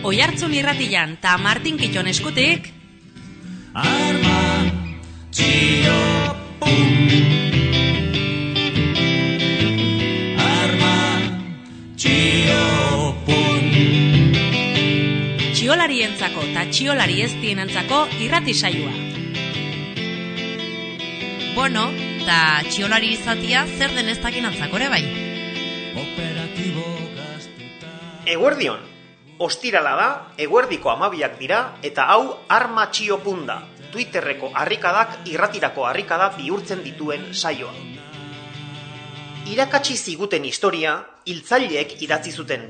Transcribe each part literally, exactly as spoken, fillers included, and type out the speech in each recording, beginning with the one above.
Oihartzun irratian ta Martin Kitton eskutik Arma txio pum. Arma txio pum. Txiolarientzako ta txiolari ez dienentzako irrati saioa. Bueno, ta txiolari izatia zer den ez dakinantzako ere bai. Operatibo gaztuta. Eguerdion, ostirala da, eguerdiko amabiak dira, eta hau Arma txio punda, Twitterreko harrikadak irratirako harrikada bihurtzen dituen saioa. Irakatsi ziguten historia, hiltzaileek idatzi zuten,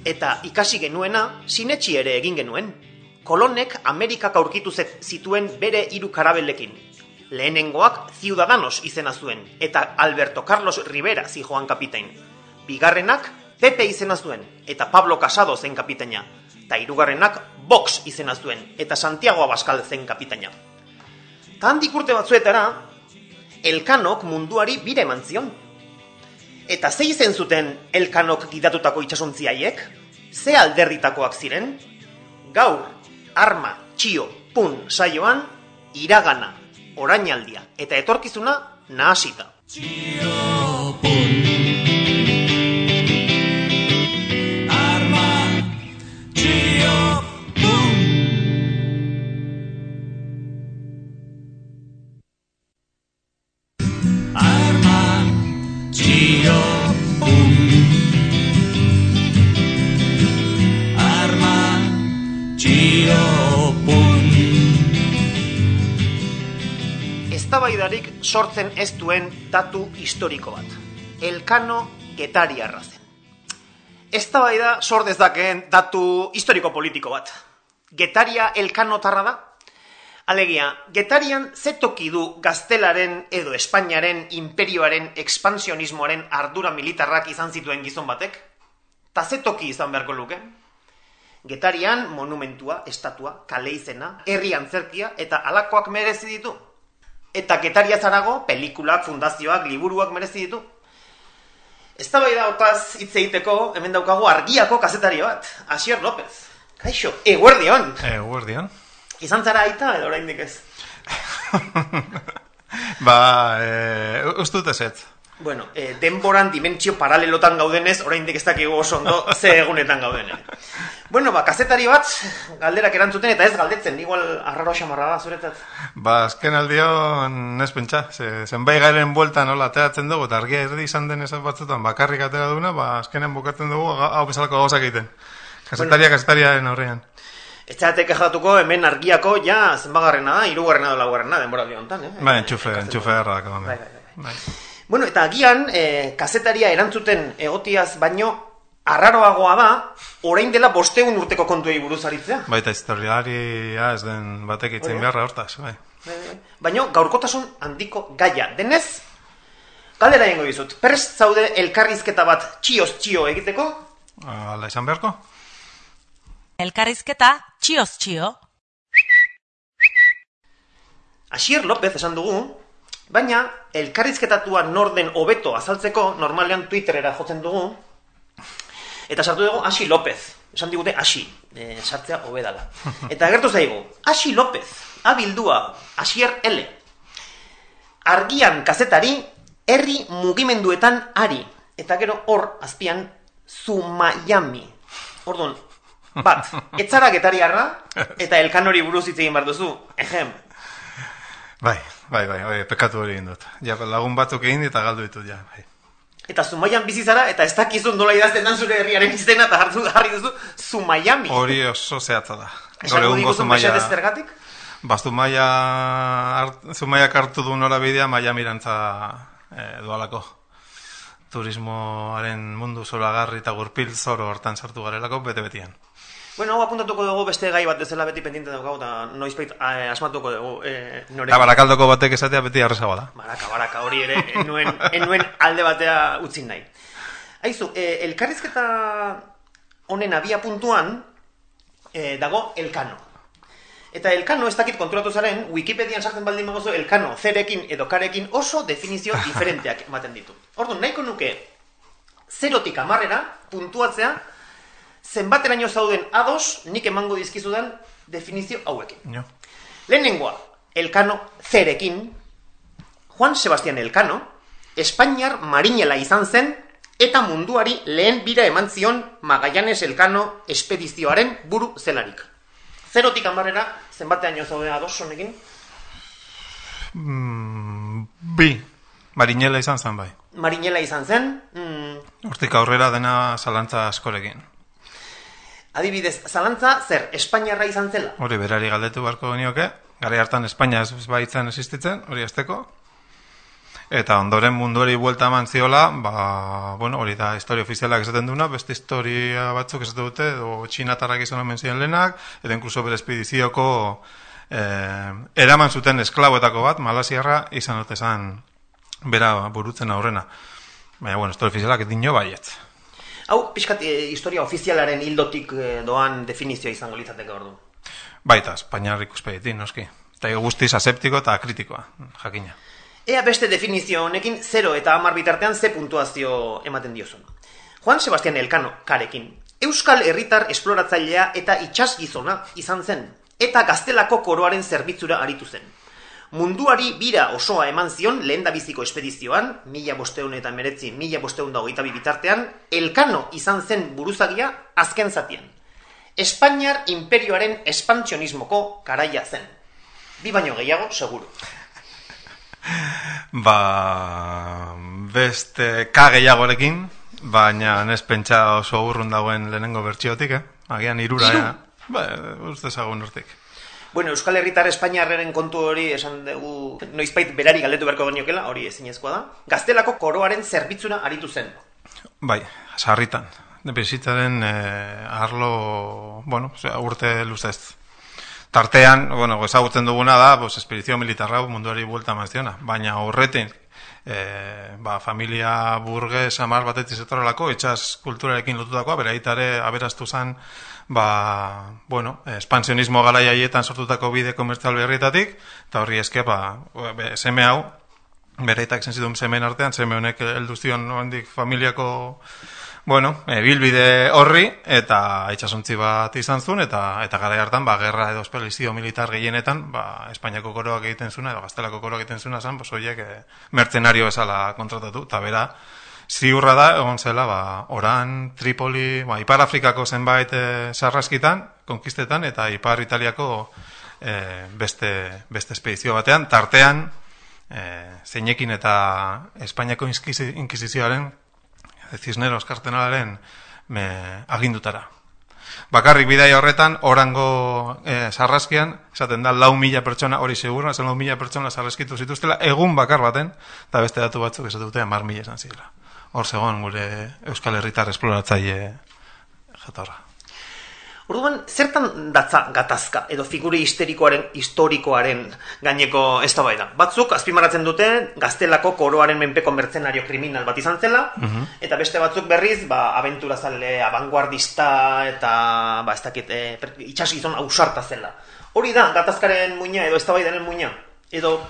eta ikasi genuena, sinetsi ere egin genuen. Kolonek Amerikak aurkitu zituen bere hiru karabelekin. Lehenengoak Ciudadanos izena zuen, eta Alberto Carlos Rivera zijoan kapitain. Bigarrenak Pepe izena zuen, eta Pablo Casado zen kapitaina. Ta hirugarrenak Vox izena zuen, eta Santiago Abascal zen kapitaina. Ta handik urte batzuetara, Elkanok munduari bire eman zion. Eta ze izen zuten Elkanok gidatutako itxasontziaiek? Ze alderditakoak ziren? Gaur, Arma txio pun saioan, iragana, orainaldia eta etorkizuna nahasita. Txio pun. Arma txio pun. Arma txio pun. Arma txio pun. Eztabaidarik sortzen ez duen datu historiko bat. Elkano getariarra zen. Eztabaida sor dezakeen datu historiko politiko bat. Getaria elkanotarra da? Alegia, Getarian ze toki du Gaztelaren edo Espainiaren imperioaren ekspansionismoaren ardura militarrak izan zituen gizon batek? Ta ze toki izan beharko luke? Getarian monumentua, estatua, kale izena, herri antzerkia eta halakoak merezi ditu. Eta Getaria zarago, pelikulak, fundazioak, liburuak merezi ditu. Eztabaida hotaz hitz egiteko, hemen daukagu Argiako kazetari bat, Asier López. Kaixo, eguerdion. Eguerdion. Izan zara aita edo oraindik ez? Ba, e, ustut ezetz. Bueno, e, denboran dimentsio paralelotan gaudenez, oraindik ez dakigu oso ondo ze egunetan gaudenen. Bueno, ba, kazetari bat, galderak erantzuten eta ez galdetzen, igual arraro xamarra da zuretzat. Ba, azken aldion ez pentsa, ze, zenbait garen bueltan nola ateratzen dugu, eta argia erdi izan den esan batzutan bakarrik atera duna, ba, azkenen bukatzen dugu, hau bezalako gauzak egiten. Kasetaria, bueno, kasetariaren aurrean. Ez zeratek ejatuko hemen Argiako, ja, zenbagarrena da, hirugarrena da laugarrena, denbora honetan, eh? Ba, entxufe, entxufe erra dako. Bai, bai, bai. bai. Bueno, eta agian, eh, kasetaria erantzuten egotiaz baino, arraroagoa da, orain dela bosteun urteko kontuei buruz aritzea. Baita historiaria ez den batek itzen beharra hortaz, bai. Baina gaurkotasun handiko gaia. Denez, galdera egingo dizut, prest zaude elkarrizketa bat txioz txio egiteko? Hala izan beharko? Elkarrizketa txioz txio. Asier López esan dugu, baina elkarrizketatua nor den hobeto azaltzeko normalean Twitterera jotzen dugu, eta sartu dugu Asi López. Esan digute Asi, e, sartzea hobedala. Eta agertu zaigu, Asi López, abildua, Asier L. Argian kazetari, herri mugimenduetan ari. Eta gero hor, azpian, Zumayami. Orduan, bat, etzara getariarra, eta elkanori buruz hitz egin behar duzu. Ejem. Bai, bai, bai, bai, pekatu hori egin dut. Ja, lagun batzuk egin eta galdu ditut, ja, bai. Eta Zumaian bizi zara, eta ez dakizun dola idazten dan zure herriaren izena, eta hartu jarri duzu Zumayami. Hori oso zehatza da. Esango diguzu mesedez zergatik? Ba, Zumaia, Zumaiak hartu du norabidea Maiamirantza e, dualako. Turismoaren mundu zoragarri eta gurpil zoro hortan sartu garelako, bete-betian. Bueno, hau apuntatuko dugu beste gai bat dezela beti pendiente daukagu, eta noizbait eh, asmatuko dugu eh, nore. Eta barakaldoko batek esatea beti arrezagoa da. Baraka, baraka, hori ere, enuen, enuen alde batea utzin nahi. Aizu, eh, elkarrizketa honen abia puntuan eh, dago Elkano. Eta Elkano, ez dakit konturatu zaren, Wikipedian sartzen baldin bagozu, Elkano, zerekin edo karekin oso definizio diferenteak ematen ditu. Orduan, nahiko nuke zerotik hamarrera puntuatzea zenbateraino zauden ados nik emango dizkizudan definizio hauekin. Jo. Lehenengoa, Elkano zerekin, Juan Sebastián Elkano, Espainiar marinela izan zen, eta munduari lehen bira eman zion Magallanes Elkano espedizioaren buru zelarik. Zerotik hamarrera, zenbateraino zauden ados honekin? Mm, bi, marinela izan zen bai. Marinela izan zen, mm, Hortik aurrera dena zalantza askorekin. adibidez, zalantza zer, Espainiarra izan zela? Hori berari galdetu beharko genioke, garai hartan Espainia ez baitzen existitzen, hori azteko. Eta ondoren munduari buelta eman ziola, ba, bueno, hori da historia ofizialak esaten duna, beste historia batzuk esaten dute, edo txinatarrak izan omen ziren lehenak, eta inkluso bere espedizioko eh, eraman zuten esklaboetako bat, malasiarra izan dute zan bera burutzen aurrena. Baina, bueno, historia ofizialak dino baietz. Hau, pixkat, e, historia ofizialaren hildotik e, doan definizioa izango litzateke ordu. Baita, Espainiar ikuspegitik, noski. Eta guztiz aseptiko eta kritikoa, jakina. Ea beste definizio honekin zero eta hamar bitartean ze puntuazio ematen diozun. Juan Sebastián Elkano karekin, Euskal Herritar esploratzailea eta itsasgizona izan zen, eta Gaztelako koroaren zerbitzura aritu zen. Munduari bira osoa eman zion lehendabiziko espedizioan, mila bosteun eta meretzi, mila bosteun da hogeita bi bitartean, Elkano izan zen buruzagia azken zatian. Espainiar imperioaren espantzionismoko karaia zen. Bi baino gehiago, seguru. Ba, beste ka gehiagorekin, baina ez pentsa oso urrun dagoen lehenengo bertsiotik, eh? Agian irura, Iru? eh? Ba, uste zagun urtik. Bueno, Euskal Herritar Espainiarraren kontu hori esan dugu noizbait berari galdetu beharko geniokela, hori ezinezkoa da. Gaztelako koroaren zerbitzura aritu zen. Bai, sarritan. Bizitzaren eh, arlo, bueno, urte luzez. Tartean, bueno, ezagutzen duguna da, pues, espedizio militarra munduari buelta maziona, baina horretin, e, ba, familia burgues amar batetik zetorrelako, itxas kulturarekin lotutakoa, bere aitare aberastu zen, ba, bueno, espansionismo garai haietan sortutako bide komertzial berrietatik, eta horri eske, ba, seme hau, bere aitak zen zituen semen artean, seme honek heldu zion handik familiako, bueno, e, bilbide horri, eta itxasontzi bat izan zuen, eta eta garai hartan, ba, gerra edo espelizio militar gehienetan, ba, Espainiako koroak egiten zuna, edo Gaztelako koroak egiten zuna zen, pues, horiek e, mertzenario bezala kontratatu, eta bera, ziurra da, egon zela, ba, Oran, Tripoli, ba, Ipar Afrikako zenbait e, sarraskitan, konkistetan, eta Ipar Italiako e, beste, beste espedizio batean, tartean, e, zeinekin eta Espainiako inkisizioaren, Cisneros kartenalaren me, agindutara. Bakarrik bidai horretan, orango e, sarraskian, esaten da, lau mila pertsona, hori segura, zen lau mila pertsona sarraskitu zituztela, egun bakar baten, eta beste datu batzuk esatu dute, mar mila esan zirela. Hor zegoen gure Euskal Herritar esploratzaile jatorra. Orduan, zertan datza gatazka edo figure histerikoaren historikoaren gaineko eztabaida? Batzuk azpimarratzen dute Gaztelako koroaren menpeko mertzenario kriminal bat izan zela, uh-huh. eta beste batzuk berriz, ba, abenturazale, abanguardista eta ba, ez dakit, e, itxasgizon ausarta zela. Hori da gatazkaren muina edo eztabaidaren muina, edo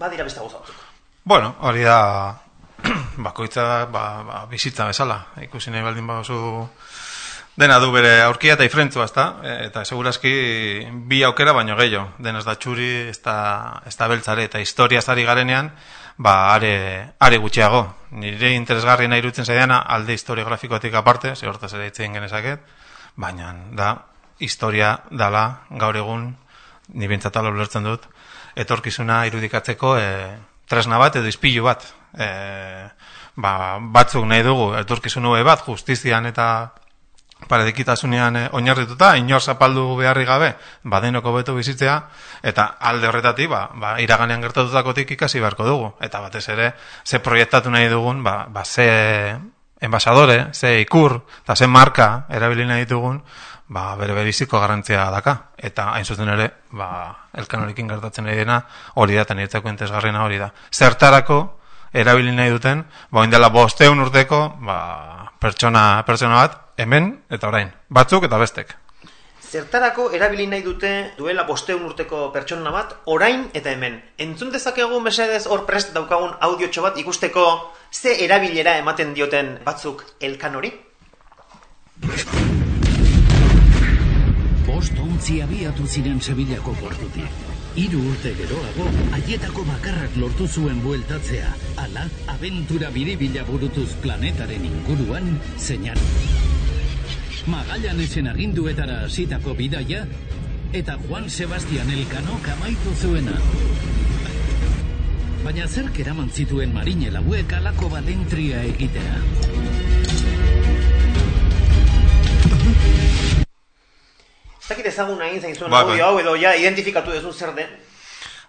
badira beste gauza batzuk. Bueno, hori da bakoitza ba, ba, bizitza bezala, ikusi nahi baldin baduzu. Dena du bere aurkia eta ifrentzua, ezta? Eta segurazki bi aukera baino gehiago. Denez da txuri, ez da, ez da beltzare, eta historia zari garenean, ba, are, are gutxiago. Nire interesgarri nahi irutzen zaideana, alde historiografikotik aparte, ze hortaz ere itzein genezaket, baina da, historia dala, gaur egun, ni bintzatalo ulertzen dut, etorkizuna irudikatzeko e, tresna bat edo izpilu bat. E, ba, batzuk nahi dugu, etorkizun hube bat, justizian eta paradikitasunean eh, oinarrituta, inor zapaldu beharri gabe, badenoko beto bizitzea, eta alde horretatik, ba, ba, iraganean gertatutakotik ikasi beharko dugu. Eta batez ere, ze proiektatu nahi dugun, ba, ba ze enbasadore, ze ikur, eta ze marka erabili nahi ditugun, ba, bere beriziko garrantzia daka. Eta hain zuzen ere, ba, Elkanorekin gertatzen nahi dena, hori da, eta niretzako entesgarriena hori da. Zertarako erabili nahi duten, ba, oindela bosteun urteko, ba, pertsona, pertsona bat, hemen eta orain, batzuk eta bestek. Zertarako erabili nahi dute duela bosteun urteko pertsona bat, orain eta hemen. Entzun dezakegu mesedez hor prest daukagun audiotxo bat ikusteko ze erabilera ematen dioten batzuk Elkanori? bost ontzi abiatu ziren Sevillako portutik. Hiru urte geroago, haietako bakarrak lortu zuen bueltatzea, ala, abentura biribila burutuz planetaren inguruan, zeinan. Magallanesen aginduetara hasitako bidaia, eta Juan Sebastián Elkano amaitu zuena. Baina zerk eraman zituen marine lauek alako balentria egitea. Ez dakit ezagun nahi zain zuen Bai, audio bai. hau edo ja identifikatu dezun zer den.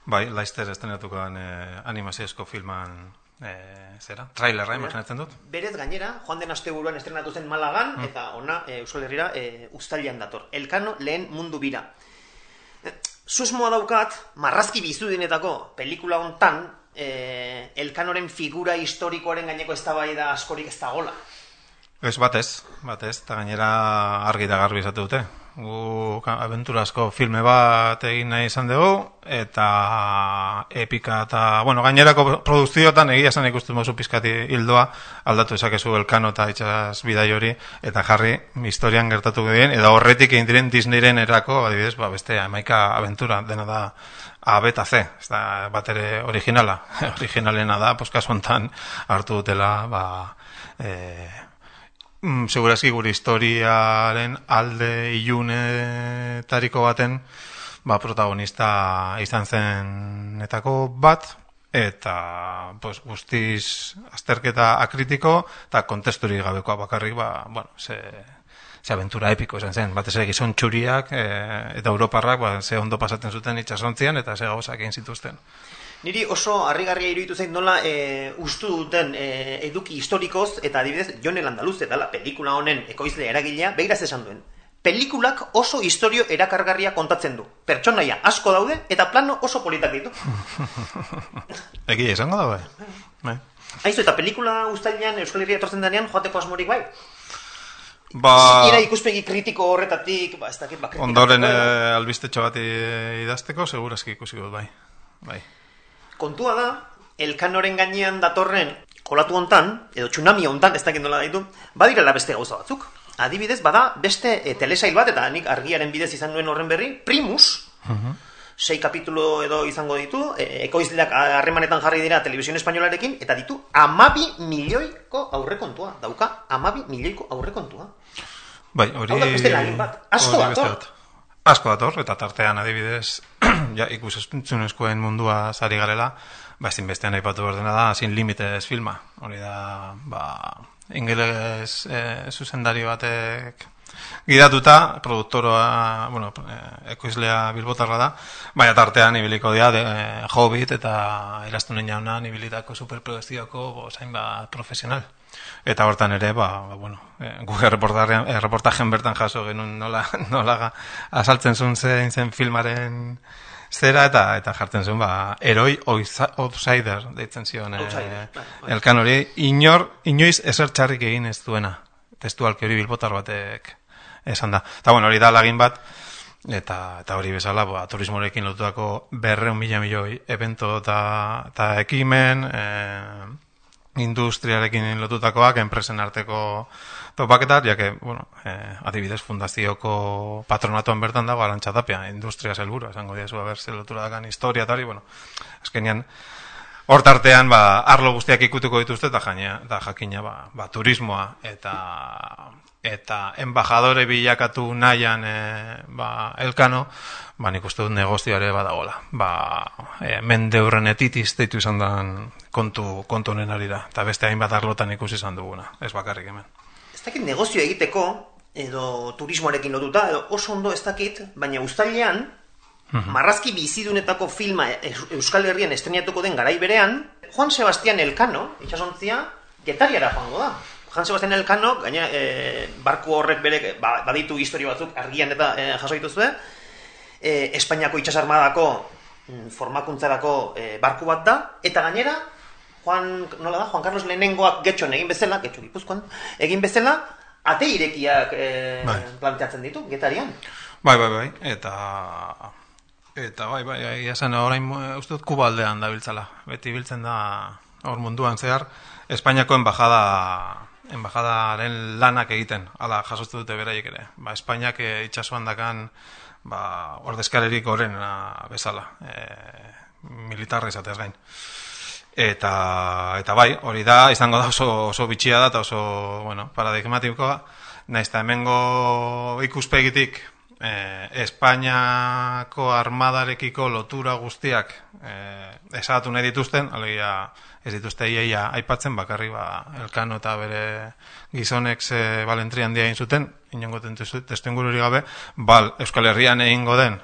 Bai, Leicester estrenatukoan eh, animaziozko filman eh, zera, trailerra imaginatzen dut. Berez gainera, joan den asteburuan estrenatu zen Malagan, Mm. eta ona e, Euskal Herrira e, uztailean dator. Elkano lehen mundu bira. Susmoa daukat, marrazki bizudinetako pelikula hontan, e, Elkanoren figura historikoaren gaineko eztabaida askorik ez dagola. Ez batez, batez, eta gainera argi da garbi izate dute. Gu abenturazko filme bat egin nahi izan dugu, eta epika eta, bueno, gainerako produkzioetan egia esan ikusten mozu pizkati hildoa, aldatu esakezu Elkano eta itxas bidai hori, eta jarri historian gertatuko diren, eta horretik egin diren Disneyren erako, adibidez, ba, beste hamaika abentura, dena da A, B eta C, ez da bat ere originala. Originalena da, pues kasu hontan hartu dutela, ba, eh, Mm, segurazki gure historiaren alde ilunetariko baten ba, protagonista izan zenetako bat, eta pues, guztiz azterketa akritiko eta kontesturik gabekoa bakarrik, ba, bueno, ze, ze aventura epiko izan zen. Batez ere gizon txuriak e, eta europarrak ba, ze ondo pasaten zuten itxasontzian eta ze gauzak egin zituzten. Niri oso harrigarria iruditu zait nola e, ustu duten e, eduki historikoz, eta adibidez, Jon el Andaluz dela pelikula honen ekoizle eragilea, behiraz esan duen. Pelikulak oso historio erakargarria kontatzen du. Pertsonaia asko daude, eta plano oso politak ditu. Egia izango da, bai. Aizu, eta pelikula uztailean Euskal Herria etortzen denean joateko asmorik bai? Ba... Ira ikuspegi kritiko horretatik, ba, ez dakit, ba, ondoren e, albistetxo bat idazteko, segurazki ikusiko bai. Bai. Kontua da, Elkanoren gainean datorren kolatu hontan, edo tsunami hontan, ez dakit nola daitu, badirela beste gauza batzuk. Adibidez, bada beste e, telesail bat, eta nik argiaren bidez izan nuen horren berri, Primus, uh-huh. sei kapitulo edo izango ditu, e, ekoizleak harremanetan jarri dira telebizio espainolarekin, eta ditu amabi milioiko aurrekontua, dauka amabi milioiko aurrekontua. Bai, hori... Hau da beste lagin bat, asko dator. Asko dator, eta tartean adibidez, ja, ikusentzunezkoen mundua zari garela, ba, ezin bestean aipatu berdena da, Sin Limites filma. Hori da, ba, ingeles e, zuzendari batek gidatuta, produktoroa, bueno, e, ekoizlea bilbotarra da, baina tartean ibiliko dira, de, e, Hobbit eta Eraztunen jaunan ibilitako superprodukzioko zain bat profesional. Eta hortan ere, ba, ba bueno, e, guk erreportajen bertan jaso genuen nola, nola azaltzen zuen zein zen filmaren zera, eta eta jartzen zuen, ba, eroi outsider deitzen zion e, Elkan hori, inor, inoiz ezer txarrik egin ez duena, testualki hori bilbotar batek esan da. Eta bueno, hori da lagin bat, eta, eta hori bezala, ba, turismorekin lotutako berreun mila milioi evento eta ekimen, e, industriarekin lotutakoak, enpresen arteko topaketak, ja que, bueno, eh, adibidez, fundazioko patronatuan bertan dago Arantxa Tapia, industria zelburu, esango diazu, haber, ze lotura dakan historia, tari, bueno, azkenean, hor tartean, ba, arlo guztiak ikutuko dituzte, eta jaina, eta jakina, ba, ba, turismoa, eta eta embajadore bilakatu nahian e, ba, Elkano, ba, nik uste dut negozioare badagola. Ba, e, mende hurren etitiz deitu izan dan kontu, kontu honen arira. Eta beste hainbat arlotan ikusi izan duguna, ez bakarrik hemen. Ez dakit negozio egiteko, edo turismoarekin lotuta, edo oso ondo ez dakit, baina uztailean, uh-huh. marrazki bizidunetako filma Euskal Herrian estrenatuko den garai berean, Juan Sebastián Elkano, itxasontzia, Getariara joango da. Juan Sebastián Elkano, gaina, e, barku horrek bere, ba, baditu historio batzuk argian eta e, jaso dituzue, e, Espainiako itxasarmadako mm, formakuntzarako e, barku bat da, eta gainera, Juan, nola da, Juan Carlos Lehenengoak getxon egin bezala, getxo Gipuzkoan, egin bezala, ate irekiak e, bai. planteatzen ditu, Getarian. Bai, bai, bai, eta... Eta bai, bai, bai, esan orain uste dut Kuba aldean da biltzala. Beti biltzen da hor munduan zehar, Espainiako embajada... embajadaren lanak egiten, ala jasotzen dute beraiek ere. Ba, Espainiak e, itxasuan dakan ba, ordezkarerik gorena bezala, e, militarra izatez gain. Eta, eta bai, hori da, izango da oso, oso bitxia da, eta oso, bueno, paradigmatikoa, nahiz eta hemengo ikuspegitik, eh, Espainiako armadarekiko lotura guztiak eh, esagatu nahi dituzten, alegia ez dituzte iaia aipatzen, bakarri ba, Elkano eta bere gizonek ze balentria handia egin zuten, inongo testu ingururi gabe, bal, Euskal Herrian egingo den,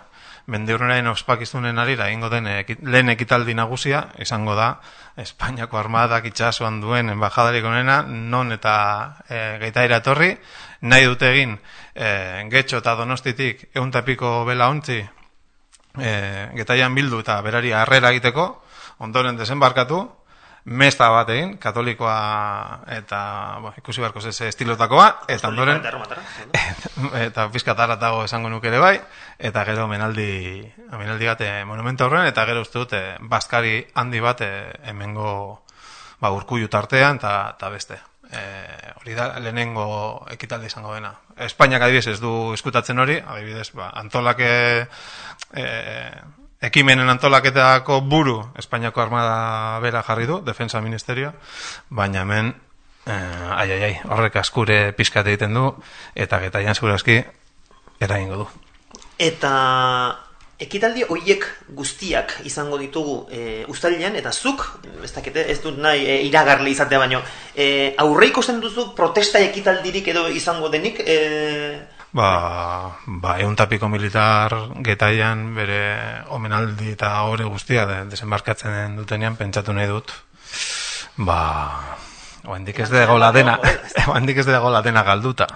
mendiurrenaren ospakizunen arira egingo den ekit, lehen ekitaldi nagusia, izango da, Espainiako armadak itxasuan duen embajadarik onena, non eta e, geitaira etorri, nahi dute egin e, Getxo eta Donostitik euntapiko bela ontzi e, getaian bildu eta berari harrera egiteko, ondoren desembarkatu, mesta bat egin, katolikoa eta bo, ikusi barko ze estilotakoa, eta ondoren eta pizkataratago esango nuke ere bai, eta gero menaldi menaldi bat monumento horren, eta gero uste dute bazkari handi bat hemengo ba, Urkullu tartean eta, eta beste. E, hori da lehenengo ekitaldi izango dena. Espainiak adibidez ez du eskutatzen hori, adibidez ba, antolake e, ekimenen antolaketako buru Espainiako armada bera jarri du, Defensa Ministerioa, baina hemen eh, ai, ai, ai, horrek askure pizkat egiten du, eta getaian segurazki eragingo du. Eta ekitaldi horiek guztiak izango ditugu e, uztailean, eta zuk, ez dakite, ez dut nahi e, iragarle izatea baino, e, aurreiko zen duzu protesta ekitaldirik edo izango denik? E... Ba, ba euntapiko militar getaian bere omenaldi eta ore guztia de, desembarkatzen dutenean pentsatu nahi dut. Ba, oendik ez dago la dena, oendik ez dago la dena galduta.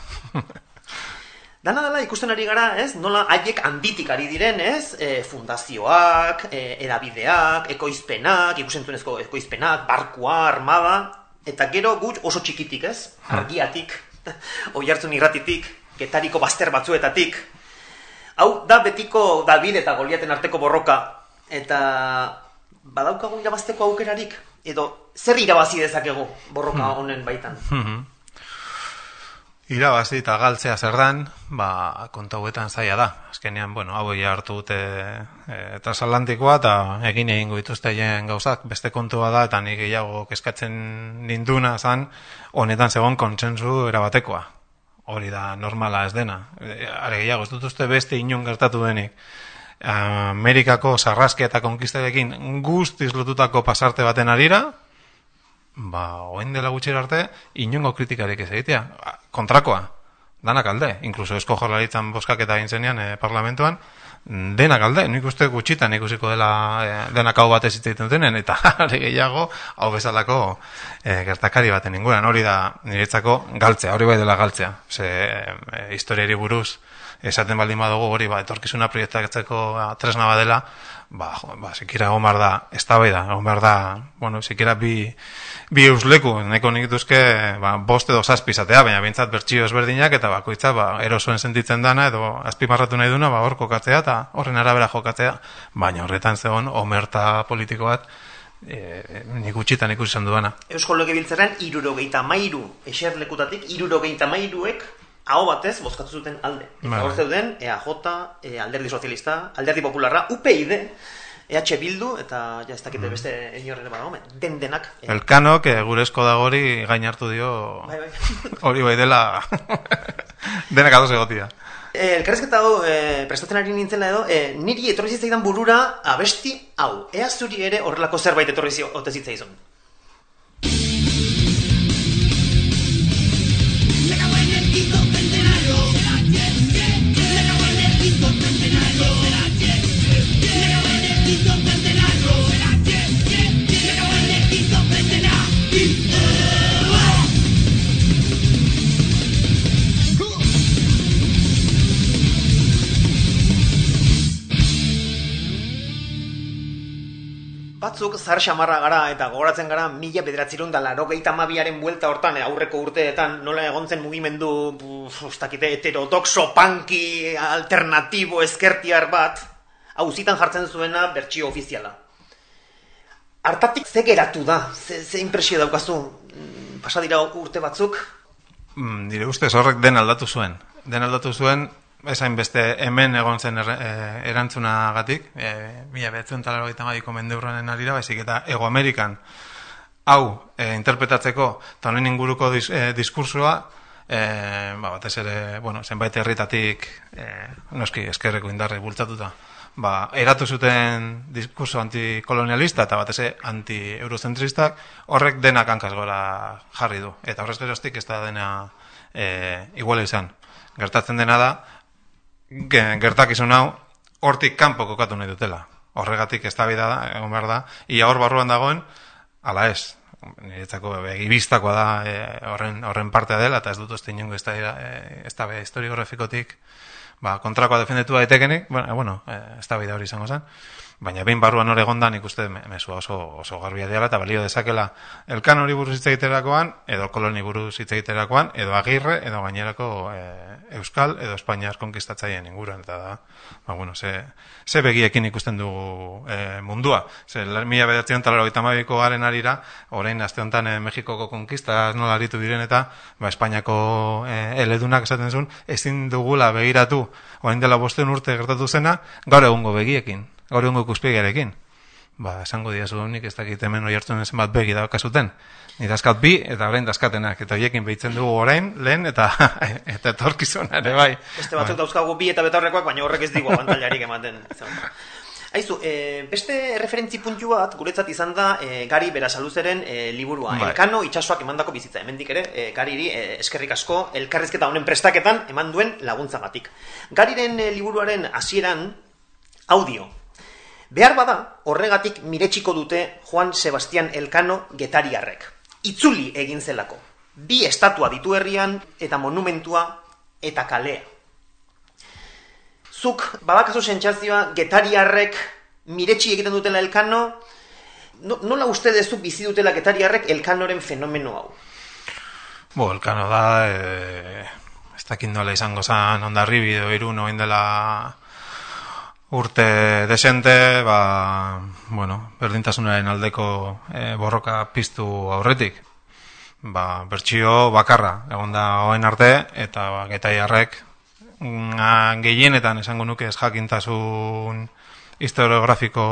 Dana dela ikusten ari gara, ez? Nola haiek handitik ari diren, ez? E, fundazioak, e, edabideak, ekoizpenak, ikusentzunezko ekoizpenak, barkua, armada, eta gero gut oso txikitik, ez? Argiatik, oihartzun irratitik, Getariko bazter batzuetatik. Hau da betiko David eta Goliaten arteko borroka, eta badaukagu irabazteko aukerarik, edo zer irabazi dezakegu borroka honen baitan? Irabazi eta galtzea zer dan, ba, konta hauetan zaila da. Azkenean, bueno, hau hartu dute e, transatlantikoa eta egin egingo dituzte gauzak, beste kontua da, eta nik gehiago keskatzen ninduna zan, honetan zegoen kontsentsu erabatekoa. Hori da normala ez dena. Are gehiago, ez dut uste beste inon gertatu denik. Amerikako sarraske eta konkistarekin guztiz lotutako pasarte baten arira, ba, oen dela gutxera arte, inongo kritikarik ez egitea. Kontrakoa, danak alde. Inkluso Eusko Jaurlaritzan bozkaketa egin zenean eh, parlamentuan, denak alde. Nik uste gutxitan ikusiko dela eh, denak hau batez hitz egiten denen, eta are gehiago hau bezalako eh, gertakari baten inguran. Hori da niretzako galtzea, hori bai dela galtzea. Ze eh, historiari buruz esaten baldin badugu hori ba, etorkizuna proiektatzeko tresna badela, ba, ba, sikira egon behar da, ez da bai da, egon behar da, bueno, sikira bi, bi eusleku, nahiko nik duzke, ba, bost edo zazpi izatea, baina bintzat bertxio ezberdinak, eta bakoitza, ba, erosoen sentitzen dana, edo azpimarratu nahi duna, ba, hor kokatzea, eta horren arabera jokatzea, baina horretan zegoen, omerta politiko bat, e, nik utxitan ikusi izan duana. Eusko Legebiltzarrean, hirurogeita hamairu eserlekutatik, hirurogeita hamairuek aho batez bozkatu zuten alde. Eta hor zeuden, E A J, e, Alderdi Sozialista, Alderdi Popularra, U P I D, E H Bildu, eta ja ez dakite beste inorren badago, den denak. E. Elkano, que gure esko dagori gain hartu dio, bai, bai. Hori bai dela, denak adoz egotia. E, elkarrezketa hau, e, prestatzen ari nintzela edo, e, niri etorri zitzaidan burura abesti hau. Ea zuri ere horrelako zerbait etorri zitzaizun. Batzuk zar xamarra gara eta gogoratzen gara mila bederatzirun da laurogeita hamabiaren buelta hortan, aurreko urteetan nola egontzen mugimendu ustakite heterodoxo, punky, alternatibo, ezkertiar bat, auzitan jartzen zuena bertsio ofiziala. Hartatik ze geratu da? Ze, ze impresio daukazu? Pasa dira urte batzuk? Mm, dire ustez horrek den aldatu zuen. Den aldatu zuen esain beste hemen egon zen er, e, erantzunagatik, e, mila behatzen talarrogeita hamabiko mendeuronen arira, baizik eta Ego Amerikan hau e, interpretatzeko eta honen inguruko dis, e, diskursua, e, ba, batez ere, bueno, zenbait herritatik e, noski eskerreko indarre bultzatuta, ba, eratu zuten diskurso antikolonialista eta batez ere anti-eurocentristak, horrek denak hankaz gora jarri du. Eta horrez geroztik ez da dena e, iguala izan. Gertatzen dena da, gertakizun hau hortik kanpo kokatu nahi dutela. Horregatik eztabaida da, egon behar da, ia hor barruan dagoen, ala ez. Niretzako egibistakoa da e, horren, horren partea dela, eta ez dut uste inongo eztabaida historiografikotik ba, kontrakoa defendetu daitekenik, bueno, bueno eztabaida hori izango zen. Baina behin barruan hor egonda nik uste mesua oso, oso garbia dela eta balio dezakela elkan hori buruz hitz egiterakoan, edo koloni buruz hitz egiterakoan, edo agirre, edo gainerako e, euskal, edo espainiar konkistatzaien inguruan, eta da, ba, bueno, ze, ze begiekin ikusten dugu e, mundua. Ze, mila bederatzion talarrogeita hamabiko garen arira, orain aste honetan e, Mexikoko konkista nola aritu diren eta ba, Espainiako e, eledunak esaten zuen, ezin dugula begiratu, orain dela bosteun urte gertatu zena, gaur egungo begiekin. Gaur egungo ikuspegiarekin. Ba, esango diazu nik ez dakit hemen oi hartzen zenbat begi daukazuten. Ni dazkat bi eta orain dazkatenak. Eta hoiekin behitzen dugu orain, lehen, eta eta etorkizuna ere bai. Beste batzuk dauzkagu bi eta betaurrekoak, baina horrek ez digu abantailarik ematen. Aizu, e, beste referentzi puntu bat guretzat izan da e, Gari Berasaluzeren e, liburua. Bai. Elkano itsasoak emandako bizitza. Hemendik ere, e, Gariri e, eskerrik asko elkarrizketa honen prestaketan eman duen laguntzagatik. Gariren e, liburuaren hasieran audio. Behar bada, horregatik miretsiko dute Juan Sebastián Elkano getariarrek. Itzuli egin zelako. Bi estatua ditu herrian, eta monumentua, eta kalea. Zuk, badakazu sentsazioa, getariarrek miretsi egiten dutela Elkano, no, nola uste dezu bizi dutela getariarrek Elkanoren fenomeno hau? Bo, Elkano da, e, ez dakit nola izango zan, Hondarribi edo Irun oin dela urte desente, ba, bueno, berdintasunaren aldeko e, borroka piztu aurretik. Ba, bertsio bakarra, egon da hoen arte, eta ba, getariarrek gehienetan esango nuke ez jakintasun historiografiko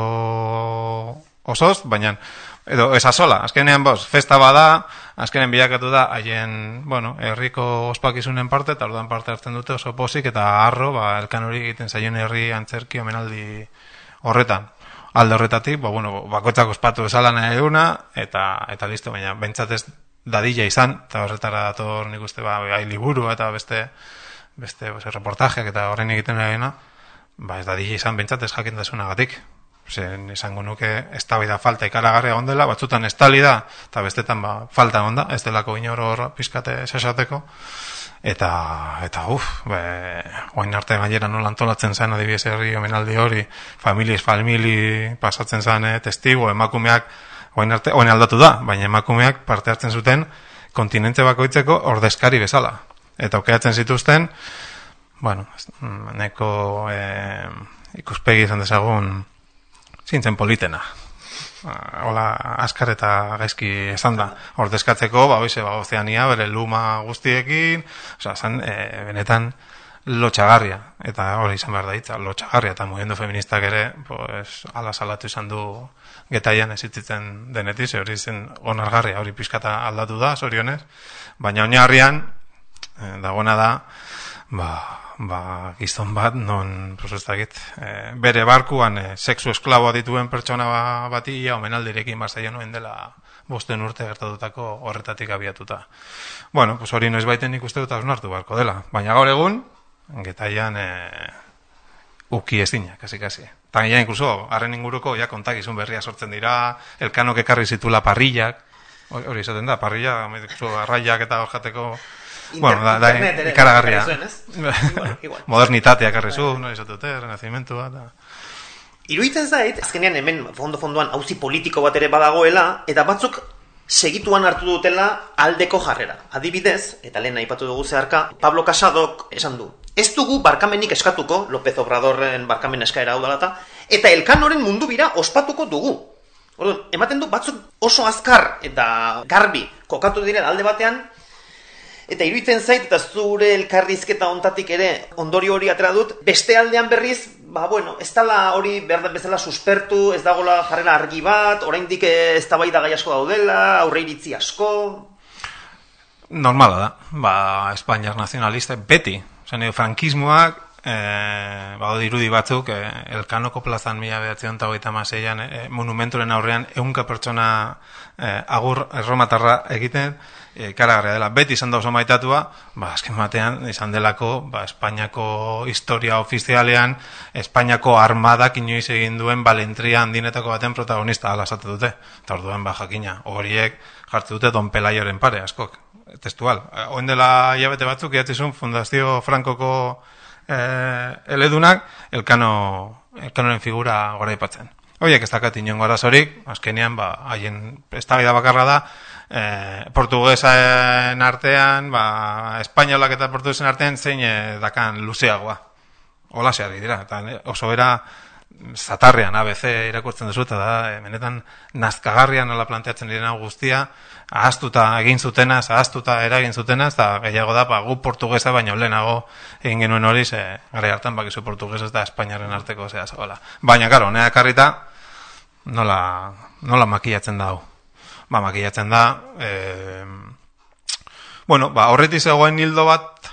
osoz, baina edo esasola, azkenean boz, festa bada, azkenen bilakatu da haien, bueno, herriko ospakizunen parte, eta orduan parte hartzen dute oso pozik, eta harro, ba, Elkan hori egiten zaion herri antzerki omenaldi horretan. Alde horretatik, ba, bueno, bakoitzak ospatu esala nahi duguna, eta, eta listo, baina bentsatez dadila izan, eta horretara dator nik uste, ba, gai liburu, eta beste, beste, beste reportajeak, eta horren egiten nahiena, ba, ez dadila izan bentsatez jakintasunagatik. Zen esango nuke eztabaida falta ikaragarria egon dela, batzutan estali da, eta bestetan ba, falta egon da, ez delako inor hor pizkate esateko, eta, eta uf, be, oain arte gainera nola antolatzen zen adibidez herri omenaldi hori, families, famili pasatzen zen, eh, testigo, emakumeak, oain arte, oain aldatu da, baina emakumeak parte hartzen zuten kontinente bakoitzeko ordezkari bezala, eta okeatzen zituzten, bueno, neko eh, ikuspegi izan dezagun, zintzen politena. Hola, askar eta gaizki esan da. Ordezkatzeko, ba, oize, ba, Ozeania, bere luma guztiekin, oza, zan, e, benetan lotxagarria. Eta hori izan behar da hitza, lotxagarria. Eta mugimendu feministak ere, pues, ala salatu izan du getaian ezitzen denetiz, hori zen onargarria, hori pizkata aldatu da, zorionez. Baina oinarrian, e, dagoena da, ba, ba, gizon bat, non, pues ez dakit, e, bere barkuan e, sexu esklaboa dituen pertsona bati, ja, omenaldirekin bazaio nuen dela bosten urte gertatutako horretatik abiatuta. Bueno, pues hori noiz baiten ikuste dut hausnartu barko dela. Baina gaur egun, getaian e, uki ezina, kasi-kasi. Eta ja, inkluso, harren inguruko, ja, kontakizun berria sortzen dira, Elkanok ekarri zitula parrillak, hori izaten da, parrilla, arraiak eta horjateko. Bueno, da, da ikaragarria. Modernitatea ekarri zu, no izatute, renazimentua. Iruditzen zait, azkenean hemen fondo-fondoan auzi politiko bat ere badagoela, eta batzuk segituan hartu dutela aldeko jarrera. Adibidez, eta lehen aipatu dugu zeharka, Pablo Casadok esan du. Ez dugu barkamenik eskatuko, López Obradorren barkamen eskaera hau dalata, eta Elkanoren mundu bira ospatuko dugu. Orduan, ematen du batzuk oso azkar eta garbi kokatu direla alde batean, Eta iruditzen zait, eta zure elkarrizketa ontatik ere ondorio hori atera dut, beste aldean berriz, ba, bueno, ez dala hori behar bezala suspertu, ez dagoela jarrera argi bat, oraindik ez tabaida gai asko daudela, aurre iritzi asko... Normala da, ba, Espainiar nazionalista, beti, zen frankismoak, eh, ba, dirudi batzuk, eh, Elkanoko plazan mila behatzion eta hogeita hamaseian eh, monumenturen aurrean ehunka pertsona eh, agur erromatarra egiten, ikaragarria dela, beti izan da oso maitatua, ba, azken batean izan delako, ba, Espainiako historia ofizialean, Espainiako armadak inoiz egin duen balentria handinetako baten protagonista ala esate dute. Eta orduan, ba, jakina, horiek jartzen dute Don Pelaioren pare, askok, testual. Oen dela hilabete batzuk, idatzizun Fundazio Frankoko eh, eledunak, elkano, elkanoren figura gora ipatzen. Horiek ez dakat inongo arazorik, azkenean, ba, haien eztabaida bakarra da, Eh, portuguesen artean, ba, espainolak eta portuguesen artean zein eh, dakan luzeagoa. Hola zeari dira, eta oso era zatarrean A B C irakurtzen duzu, eta da, eh, benetan nazkagarrian nola planteatzen direna guztia, ahaztuta egin zutenaz, ahaztuta eragin zutenaz, eta gehiago da, ba, gu portugesa baino lehenago egin genuen hori, ze, gara hartan bakizu portugesa eta Espainiaren arteko zea zabala. Baina, karo, nea karrita, nola, nola makillatzen da hau. Ba, makillatzen da, e, bueno, ba, horretik zegoen hildo bat,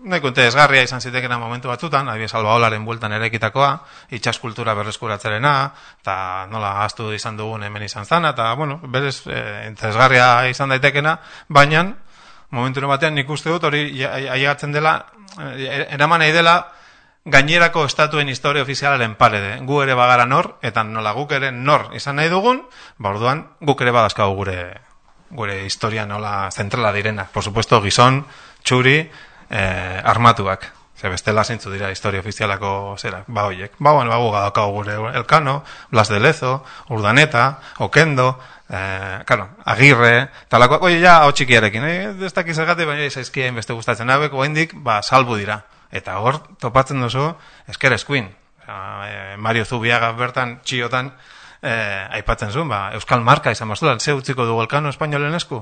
nahiko interesgarria izan zitekena momentu batzutan, adibidez Albaolaren bueltan eraikitakoa, itsaskultura berreskuratzearena, eta nola ahaztu izan dugun hemen izan zana, eta, bueno, berez, e, interesgarria izan daitekena, baina, momentu batean nik uste dut hori ailegatzen dela, eraman nahi dela, gainerako estatuen historia ofizialaren parede. Gu ere bagara nor, eta nola guk ere nor izan nahi dugun, ba orduan guk ere badazkagu gure gure historia nola zentrala direnak. Por supuesto, gizon, txuri, eh, armatuak. Ze bestela zeintzu dira historia ofizialako zera, ba hoiek. Ba, bueno, ba gu badaukagu gure Elkano, Blas de Lezo, Urdaneta, Okendo, eh, claro, Agirre, talakoak, oie, ja, hau txikiarekin, eh? Ez dakiz egate, baina izaizkia inbeste gustatzen hauek, oendik, ba, salbu dira. Eta hor, topatzen duzu, esker eskuin. E, Mario Zubiaga bertan, txiotan, e, aipatzen zuen, ba, Euskal Marka izan bazuela, ze utziko dugu Elkano espainolen esku?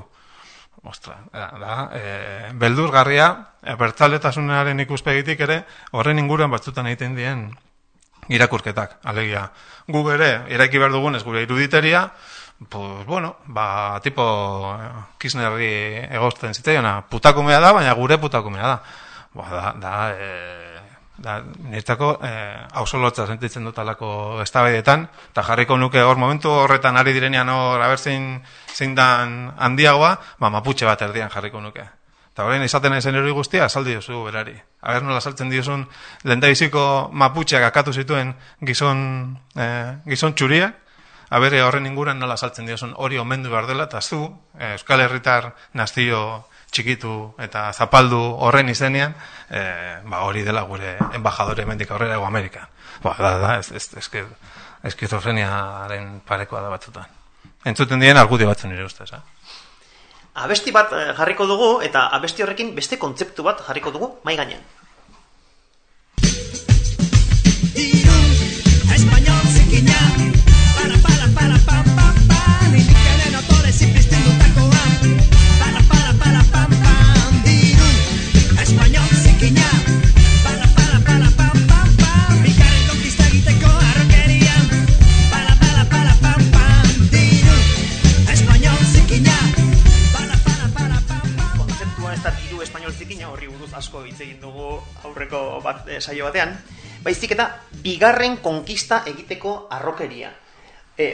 Ostra, da, da e, beldurgarria, e, bertzaletasunaren ikuspegitik ere, horren inguruan batzutan egiten dien irakurketak, alegia. Gu ere, eraiki behar dugunez gure iruditeria, pues, bueno, ba, tipo Kirchnerri egozten zitzaiona, putakumea da, baina gure putakumea da. Ba, da, da, e, da nirtako eh, hausolotza sentitzen dut alako eztabaidetan, eta jarriko nuke hor momentu horretan ari direnean hor abertzein zein dan handiagoa, ba, maputxe bat erdian jarriko nuke. Eta horrein izaten ezen hori guztia, saldi duzu berari. Aber nola saltzen diozun, lehendabiziko maputxeak akatu zituen gizon, eh, gizon txuriak, abere horren inguran nola saltzen diozun hori omendu behar dela, eta zu, eh, Euskal Herritar nazio txikitu eta zapaldu horren izenean, eh, ba hori dela gure embajadore hemendik aurrera ego Amerikan. Ba, da, da, ez, ez, ez, eskizofreniaren parekoa da batzutan. Entzuten dien argudio batzen nire ustez, eh? Abesti bat jarriko dugu, eta abesti horrekin beste kontzeptu bat jarriko dugu mai gainean. Español zikina, para, para, para, pa, pa, pa, nindikaren autore zipizten dutakoa, para, para, para, pa, pa, diru, español zikina, para, para, para, pa, pa, pa, bigarren konkista egiteko arrokeria, para, para, para, pa, pa, diru, español zikina, para, para, para, pa, pa, pa. Kontzeptua ez da diru español zikina, horri buruz asko hitz egin dugu aurreko bat, eh, saio batean, baizik eta bigarren konkista egiteko arrokeria. E,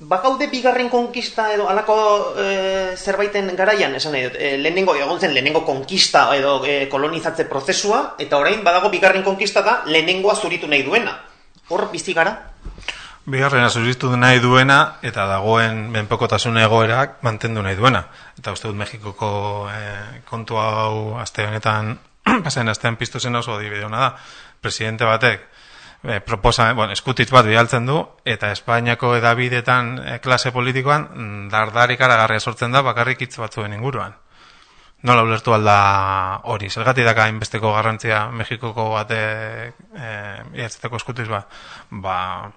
bakaude bigarren konkista edo alako e, zerbaiten garaian, esan nahi dut, e, lehenengo, egon zen lehenengo konkista edo e, kolonizatze prozesua, eta orain badago bigarren konkista da lehenengoa zuritu nahi duena. Hor bizi gara? Bigarrena zuritu nahi duena, eta dagoen menpekotasun egoerak mantendu nahi duena. Eta uste dut Mexikoko e, kontu hau aste honetan, pasen astean piztu zen oso adibide ona da. Presidente batek eh, proposa, bueno, eskutitz bat bialtzen du, eta Espainiako edabidetan eh, klase politikoan dardarik aragarria sortzen da bakarrik hitz batzuen inguruan. Nola ulertu alda hori? Zergatik daka hainbesteko garrantzia Mexikoko batek eh, iatzeteko eskutitz bat? Ba,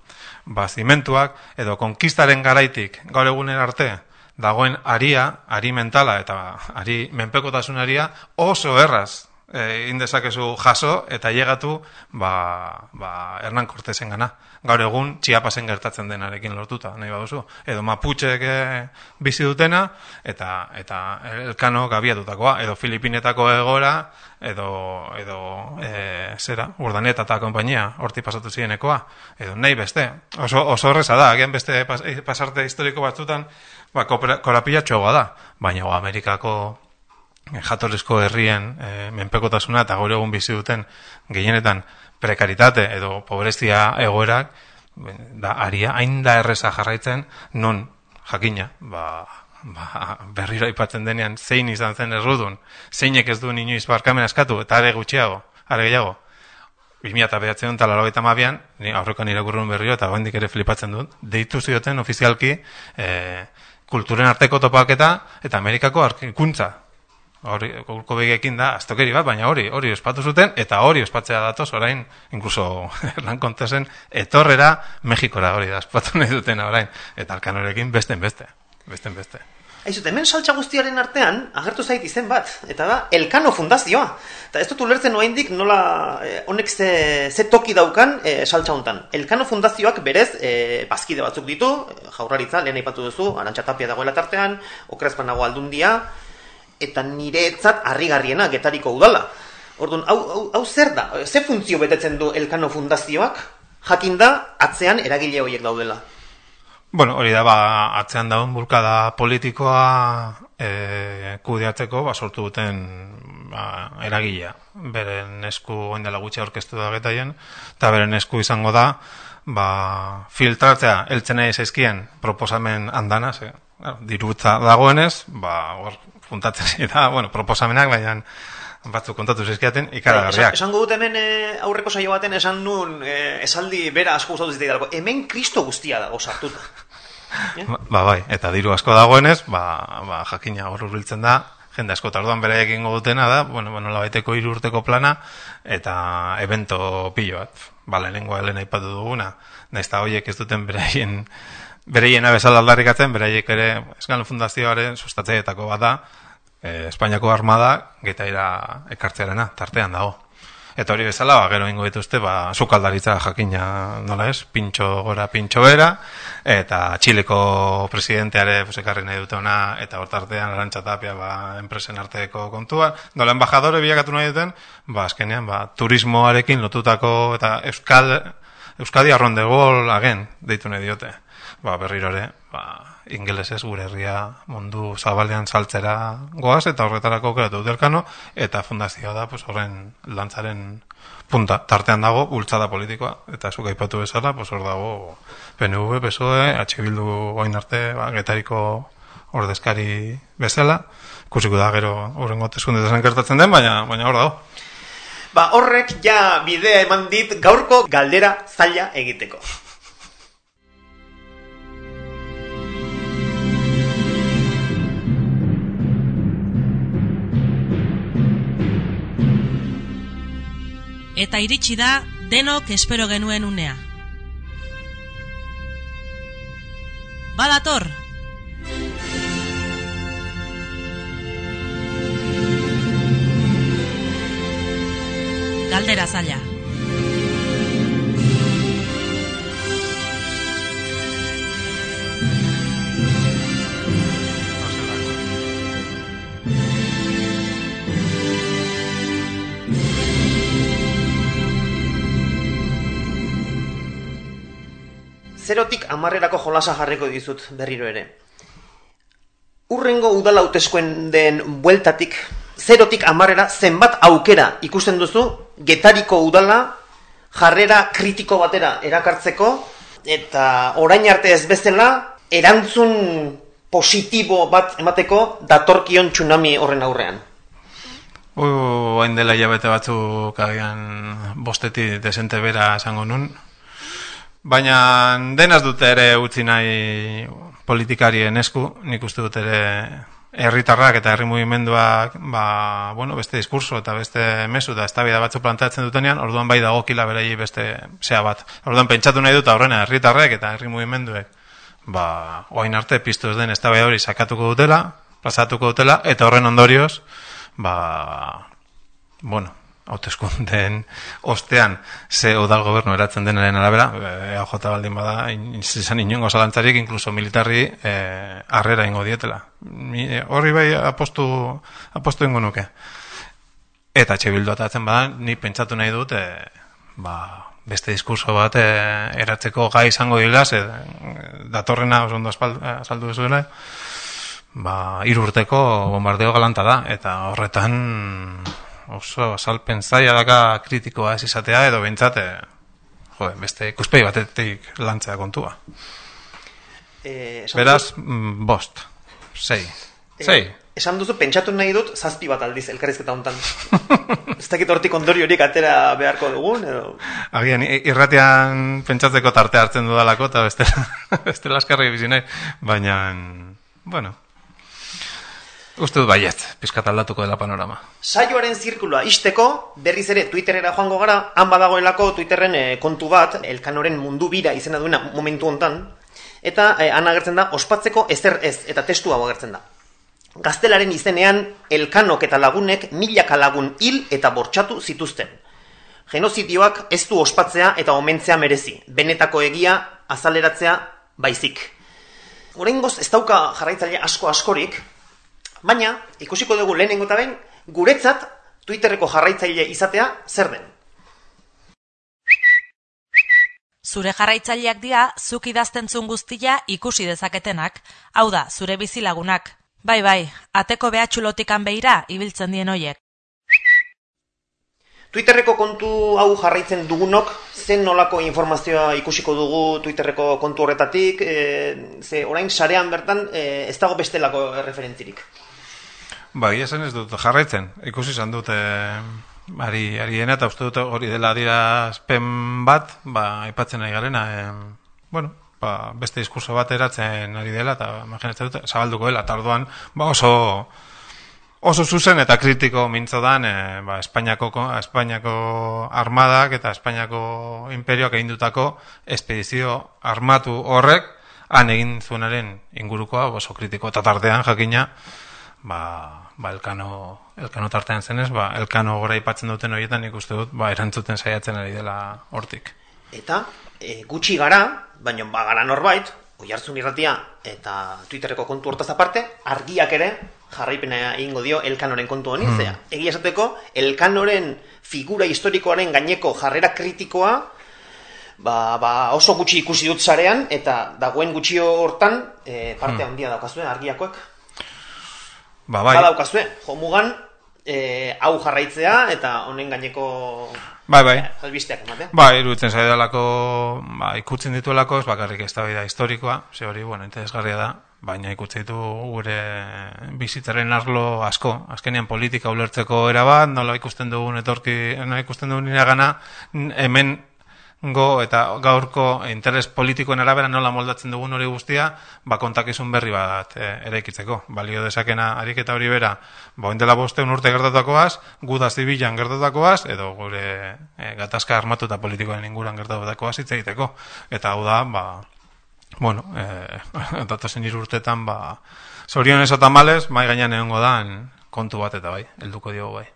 ba zimentuak, edo konkistaren garaitik gaur egunen arte, dagoen aria, ari mentala eta ari menpekotasunaria oso erraz e, indezakezu jaso eta llegatu ba, ba, Hernán Cortesen gana. Gaur egun Chiapasen gertatzen denarekin lortuta, nahi baduzu. Edo Mapucheek e, bizi dutena eta eta Elkano gabiatutakoa, edo Filipinetako egora, edo, edo e, zera, Urdaneta eta konpainia, horti pasatu zirenekoa, edo nahi beste. Oso, oso horreza da, agian beste pas, pasarte historiko batzutan, ba, korapilatxoa da, baina o, Amerikako jatorrizko herrien e, menpekotasuna eta gaur egun bizi duten gehienetan prekaritate edo pobrezia egoerak da aria hain da erreza jarraitzen non jakina ba, ba, berriro aipatzen denean zein izan zen errudun, zeinek ez du inoiz barkamen askatu eta are gutxiago, are gehiago bi mila bederatziehun eta laurogeita hamabian, ni aurrekoan irakurrun berriro eta oraindik ere flipatzen dut, deitu zioten ofizialki e, kulturen arteko topaketa eta Amerikako arkuntza. Hori, gurko begekin da, aztokeri bat, baina hori, hori ospatu zuten, eta hori ospatzea datoz, orain, incluso Hernán Cortesen etorrera Mexikora hori da, ospatu nahi dutena orain, eta Alkanorekin besten beste, besten beste. Aizut, hemen saltza guztiaren artean, agertu zait izen bat, eta da, Elkano Fundazioa. Eta ez dut ulertzen oraindik nola, eh, honek ze, ze toki daukan eh, saltza hontan. Elkano Fundazioak berez, eh, bazkide batzuk ditu, Jaurlaritza, lehen aipatu duzu, Arantxa Tapia dagoela tartean, Okrezpan nago Aldundia, eta niretzat harrigarriena Getariko udala. Orduan, hau, hau, hau zer da? Ze funtzio betetzen du Elkano Fundazioak? Jakinda, atzean eragile horiek daudela. Bueno, hori da, ba, atzean daun bulkada politikoa e, kudeatzeko, ba, sortu duten ba, eragilea. Beren esku oindela gutxi aurkeztu da getaien, eta beren esku izango da, ba, filtratzea eltzen nahi zaizkien proposamen andana, ze, dirutza dagoenez, ba, hor, puntatzen da, bueno, proposamenak, baina batzuk kontatu zizkiaten ikaragarriak. Esan, esango dut hemen e, aurreko saio baten esan nun e, esaldi bera asko gustatu ziteidalako. Hemen Kristo guztia dago sartuta. Yeah? Ba, bai, eta diru asko dagoenez, ba, ba jakina hor hurbiltzen da, jende asko tarduan bere egingo dutena da, bueno, bueno, labaiteko hiru urteko plana, eta evento pilo bat. Ba, lehenengoa lehen aipatu duguna, nahiz eta horiek ez duten beraien bereiena bezala aldarrikatzen, beraiek ere Elkano Fundazioaren sustatzaileetako bat da, eh, Espainiako armada Getaira ekartzearena, tartean dago. Eta hori bezala, ba, gero ingo dituzte, ba, sukaldaritza jakina, nola ez, pintxo gora, pintxo bera, eta Txileko presidenteare pues, ekarri nahi dute ona, eta hor tartean Arantxa Tapia, ba, enpresen arteko kontua. Nola, embajadore bilakatu nahi duten, ba, azkenean, ba, turismoarekin lotutako, eta Euskal, Euskadi arrondegol agen, deitu nahi diote. Ba, berriro ere, ba, ingelesez gure herria mundu zabalean saltzera goaz, eta horretarako kreatu dut Elkano, eta fundazioa da, pues, horren lantzaren punta. Tartean dago, bultzada politikoa, eta zuk aipatu bezala, pues, hor dago P N V, P S O E, H Bildu oin arte, ba, Getariko ordezkari bezala, ikusiko da gero horren gotezkundetan gertatzen den, baina, baina hor dago. Ba, horrek ja bidea eman dit gaurko galdera zaila egiteko. Eta iritsi da denok espero genuen unea. Badator! Galdera zaila. Zerotik hamarrerako jolasa jarriko dizut berriro ere. Urrengo udala hauteskunde den bueltatik, zerotik hamarrera zenbat aukera ikusten duzu Getariko udala jarrera kritiko batera erakartzeko, eta orain arte ez bezala erantzun positibo bat emateko datorkion tsunami horren aurrean. Uh, hain dela hilabete batzuk agian bostetik desente bera esango nun. Baina denaz dute ere utzi nahi politikarien esku, nik uste dut ere herritarrak eta herri mugimenduak, ba, bueno, beste diskurso eta beste mezu eta eztabaida batzu planteatzen dutenean, orduan bai dagokila beraiei beste zea bat. Orduan pentsatu nahi dut aurrena herritarrek eta herri mugimenduek, ba, oain arte piztu ez den eztabaida hori sakatuko dutela, plazatuko dutela, eta horren ondorioz, ba, bueno, hauteskundeen ostean ze udal gobernu eratzen denaren arabera, E A J baldin bada, izan inongo zalantzarik, inkluso militarri eh, harrera ingo dietela. Mi, eh, horri bai apostu, apostu ingo nuke. Eta etxe bildu atatzen bada, ni pentsatu nahi dut, eh, ba, beste diskurso bat eh, eratzeko gai izango dira, ze datorrena oso ondo azaldu duzuela, ba, hiru urteko bombardeo galanta da, eta horretan oso azalpen zaila daka kritikoa ez izatea, edo behintzat, jode, beste ikuspegi batetik lantzea kontua. Eh, Beraz, mm, bost, sei, sei. Eh, esan duzu, pentsatu nahi dut, zazpi bat aldiz elkarrizketa hontan. Ez dakit hortik ondoriorik atera beharko dugun, edo... Agian, irratian pentsatzeko tarte hartzen dudalako, eta beste, beste laskarri bizi nahi, baina, bueno... Uste dut baiet, pizkat aldatuko dela panorama. Saioaren zirkulua isteko, berriz ere Twitterera joango gara, han badagoelako Twitterren eh, kontu bat, Elkanoren mundu bira izena duena momentu hontan, eta eh, han agertzen da, ospatzeko ezer ez, eta testu hau agertzen da. Gaztelaren izenean, Elkanok eta lagunek milaka lagun hil eta bortxatu zituzten. Genozidioak ez du ospatzea eta omentzea merezi, benetako egia azaleratzea baizik. Oraingoz ez dauka jarraitzaile asko askorik, baina, ikusiko dugu lehenengo eta behin, guretzat Twitterreko jarraitzaile izatea zer den. Zure jarraitzaileak dira, zuk idazten zuen guztia ikusi dezaketenak, hau da, zure bizilagunak. Bai, bai, ateko behatxulotikan behira ibiltzen dien hoiek. Twitterreko kontu hau jarraitzen dugunok, zen nolako informazioa ikusiko dugu Twitterreko kontu horretatik, e, ze orain sarean bertan e, ez dago bestelako referentzirik. Ba, ia zen ez dut jarraitzen, ikusi izan dut e, ari, ari dena, eta uste dut hori dela adierazpen bat, ba, aipatzen ari garena, e, bueno, ba, beste diskurso bat eratzen ari dela, eta imaginatzen dut, zabalduko dela, eta orduan, ba, oso, oso zuzen eta kritiko mintzo dan, e, ba, Espainiako, Espainiako armadak eta Espainiako imperioak egindutako espedizio armatu horrek, han egin zuenaren ingurukoa, oso kritiko, eta tartean jakina, ba, ba elkano, elkano tartean zenez, ba, elkano gora ipatzen duten horietan ikuste dut, ba, erantzuten saiatzen ari dela hortik. Eta, e, gutxi gara, baina ba gara norbait, Oihartzun irratia eta Twitterreko kontu hortaz aparte, argiak ere jarraipena egingo dio Elkanoren kontu honi, hmm. zea. Egia esateko, Elkanoren figura historikoaren gaineko jarrera kritikoa, ba, ba oso gutxi ikusi dut sarean, eta dagoen gutxi hortan e, parte hmm. handia daukazue, argiakoek. Ba, bai. Ba daukazue, jomugan, e, hau jarraitzea, eta honen gaineko... Bai, bai. Albisteak ematea. Ba, iruditzen zaidalako, ba, ikutzen dituelako, ez bakarrik eztabaida historikoa, ze hori, bueno, interesgarria da, baina ikutzen ditu gure bizitzaren arlo asko. Azkenean politika ulertzeko erabat, nola ikusten dugun etorki, nola ikusten dugun iragana, hemen go eta gaurko interes politikoen arabera nola moldatzen dugun hori guztia, ba kontakizun berri bat e, eraikitzeko. Balio dezakena ariketa hori bera, ba oindela bosteun urte gertatakoaz, guda zibilan gertatakoaz, edo gure e, gatazka armatu eta politikoen inguran gertatakoaz hitz egiteko. Eta hau da, ba, bueno, e, datozen hiru urtetan, ba, zorionez eta males, mai gainean egongo dan kontu bat eta bai, helduko diogu bai.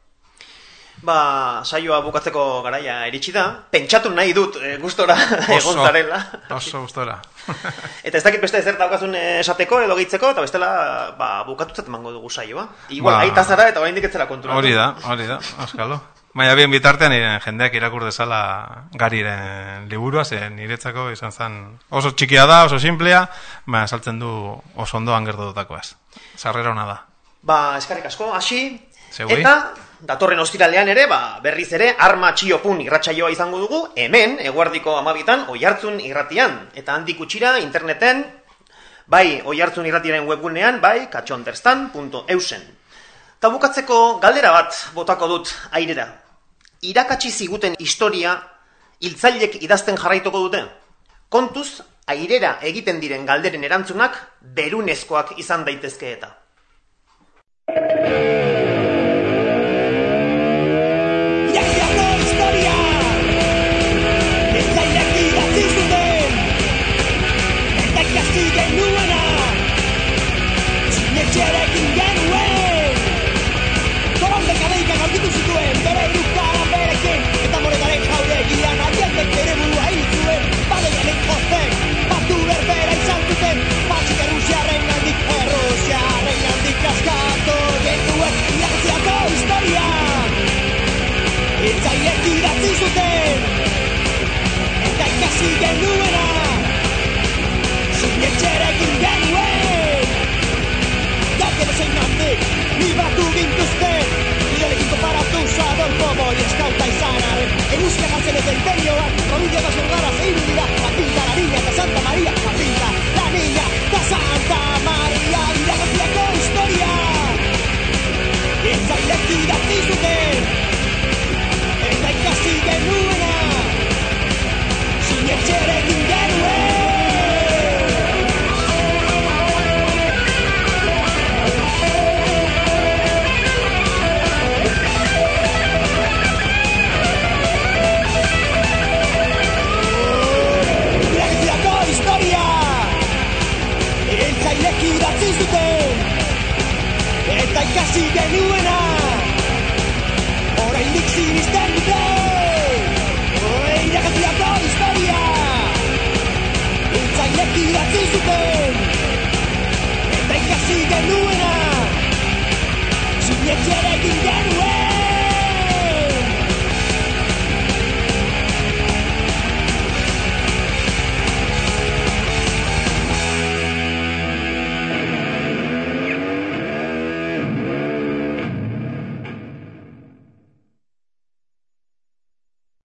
Ba, saioa bukatzeko garaia iritsi da. Pentsatu nahi dut e, gustora egon zarela. Oso gustora. Eta ez dakit beste ezer daukazun esateko edo gehitzeko, eta bestela ba, bukatutzat emango dugu saioa. Igual, ba, aita zara eta oraindik ez zera konturatu. Hori da, hori da, askalo. Baina bien bitartean jendeak irakur dezala Gariren liburua, zen niretzako izan zen oso txikia da, oso simplea, baina saltzen du oso ondoan gertatutakoaz. Sarrera ona da. Ba, eskarrik asko, hasi. Eta datorren ostiralean ere, ba, berriz ere, arma txiopun irratsaioa izango dugu, hemen, eguerdiko amabitan, Oihartzun irratian. Eta handik utxira, interneten, bai, Oihartzun irratiaren webgunean, bai, katxonderstan punto eusen. Ta bukatzeko galdera bat botako dut airera. Irakatsi ziguten historia, hiltzailek idazten jarraituko dute? Kontuz, airera egiten diren galderen erantzunak, berunezkoak izan daitezke eta. Sigue hori eskauta izanaren Eguzkia jartzen ez empeñoak Provincia da Zordara zehiru dira La Pinta, la Niña eta Santa Maria La Pinta, la Niña eta Santa Maria Iragarkiako historia Etzailek idatzi zuten Eta ikasi genuena Sinetxerekin genuen Etzailek idatzi zuten Eta ikasi genuena Oraindik sinisten dute Iragarkiako historia Etzailek idatzi zuten Eta ikasi genuena Sinetxerekin genuen